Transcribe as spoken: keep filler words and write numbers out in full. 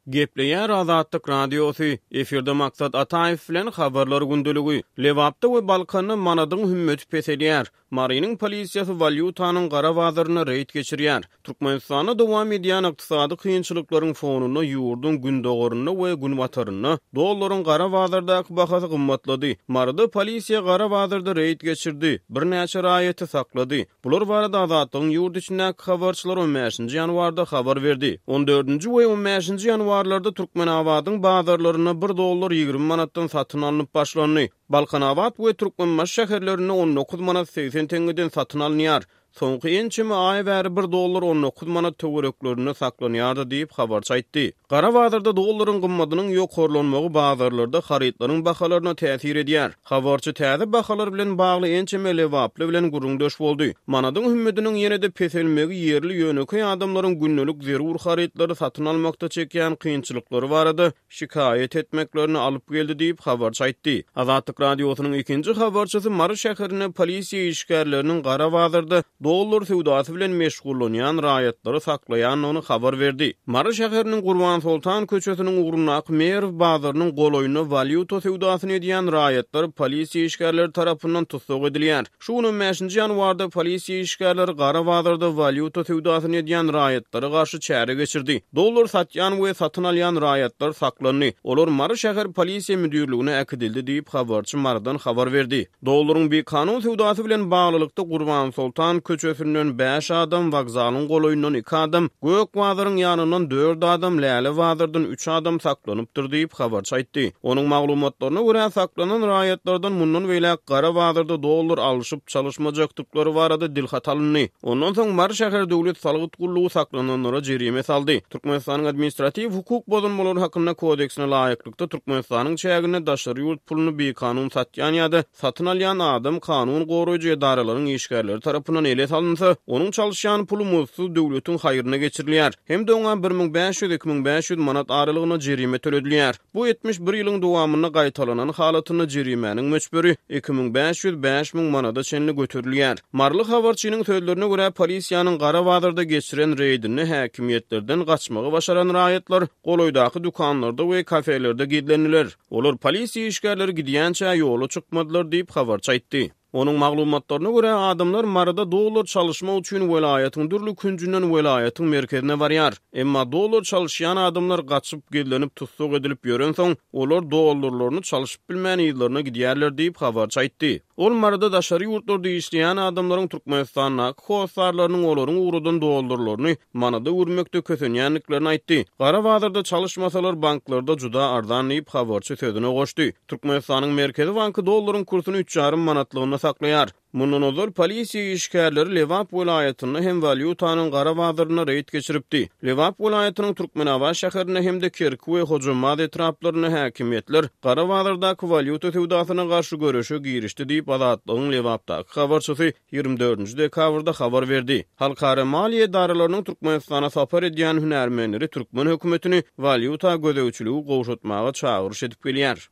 Gepleýär Azatlyk Radiosy, efirde Maksat Ataýew bilen Habarlar gündeligi. Lebapda we Balkanda manadyň hümmeti peselýär. Marynyň polisiýasy walýutanyň gara bazarynda reýd geçirýär. Türkmenistanda dowam edýän ykdysady kynçylyklaryň fonunda ýurduň gündogarynda we günbatarynda dollaryň gara bazardaky bahasy gymmatlady. Maryda polisiýa gara bazarda reýd geçirdi, birnäçe raýaty saklady. Bular barada Azatlygyň ýurt içindäki habarçylary on bäşinji ýanwarda habar berdi. On dördünji we on bäşinji ýanwarlarda Türkmenabadyň bazarlarynda bir dollar ýigrimi manatdan satyn alnyp başlandy. Balkanabat we Türkmenbaşy şäherlerinde on dokuz manat segsen teňňeden satyn alynýar. Soňky ençeme aý bäri bir dollar on dokuz manat töwereklerinde saklanýardy diýip, habarçy aýtdy. Gara bazarda dollaryň gymmadynyň ýokarlanmagy bazarlarda harytlaryň bahalaryna täsir edýär. Habarçy täze bahalar bilen bagly ençeme lebaply bilen gürrüňdeş boldy. Manadyň hümmediniň ýene-de peselmegi ýerli ýönekeý adamlaryň gündelik zerur harytlary satyn almakda çekýän kynçylyklary barada şikaýat etmeklerini alyp geldi diýip, habarçy aýtdy. Azatlyk Radiosynyň ikinji habarçysy Mary şäherinde polisiýa işgärleriniň gara bazarda dollar söwdasy bilen meşgullanýan raýatlary saklaýandygyny habar berdi. Mary şäheriniň Gurbansoltan köçesiniň ugrundaky Merw bazarynyň golaýynda walýuta söwdasyny edýän raýatlar polisiýa işgärleri tarapyndan tussag edilýär. Şu gün on bäşinji ýanwarda polisiýa işgärleri gara bazarda walýuta söwdasyny edýän raýatlara garşy çäre geçirdi. Dollar satýan we satyn alýan raýatlar saklandy. Olar Mary şäher polisiýa müdirligine äkidildi diýip, habarçy Marydan habar berdi. Dollaryň bikanun söwdasy bilen baglylykda Gurbansoltan köçesinden bäş adam, wokzalyň golaýyndan iki adam, Gök bazaryň ýanyndan dört adam, Läle bazardan üç adam saklanypdyr diýip, habarçy aýtdy. Onuň maglumatlaryna görä, saklanan raýatlardan mundan beýläk gara bazarda dollar alşyp çalyşmajakdyklary barada dilhat alyndy. Ondan soň Mary şäher döwlet salgyt gullugy saklananlara jerime saldy. Türkmenistanyň administratiw hukuk bozulmalary hakynda kodeksine laýyklykda Türkmenistanyň çäginde daşary ýurt puluny bikanun satýan ýa-da satyn alýan adam kanun goraýjy edaralaryň işgärleri tarapyndan ele salynsa, onuň çalyşýan puly muzdsuz döwletiň haýryna geçirilýär hem-de oňa bir müň bäş ýüz iki müň bäş ýüz manat aralygynda jerime töledilýär. Bu etmiş bir ýylyň dowamynda gaýtalanan halatynda jerimäniň möçberi iki müň bäş ýüz bäş müň manada çenli göterilýär. Maryly habarçynyň sözlerine görä, polisiýanyň gara bazarda geçiren reýdinde häkimiýetlerden gaçmagy başaran raýatlar golaýdaky dükanlarda we kafelerde gizlendiler. Olar polisiýa işgärleri gidýänçä ýola çykmadylar diýip, habarçy aýtdy. Onuň maglumatlaryna görä, adamlar Maryda dollar çalyşmak üçin welaýatyň dürli künjünden welaýatyň merkezine barýar. Emma dollar çalyşýan adamlar gaçyp, gizlenip, tussag edilip ýörensoň, olar dollarlaryny çalyşyp bilmän yzlaryna gidýärler diýip, habarçy aýtdy. Ol Maryda daşary ýurtlarda işleýän adamlaryň Türkmenistandaky hossarlarynyň olaryň ugradan dollarlaryny manada öwürmekde kösenýändiklerini aýtdy. Gara bazarda çalyşmasalar banklarda juda arzan diýip, habarçy sözüne goşdy. Türkmenistanyň Merkezi banky dollaryň kursuny üç ýarym manatlygynda saklaýar. Mundan ozal polisiýa işgärleri Lebap welaýatynda hem walýutanyň gara bazarynda reýd geçiripdi. Lebap welaýatynyň Türkmenabat şäherinde hem-de Kerki we Hojambaz etraplarynda häkimiýetler gara bazardaky walýuta söwdasyna garşy göreşe girişdi diýip, Azatlygyň Lebapdaky habarçysy ýigrimi dördünji dekabrda habar berdi. Halkara maliýe edaralarynyň Türkmenistana sapar edýän hünärmenleri türkmen hökümetini walýuta gözegçiligi gowşatmaga çagyryş edip gelýär.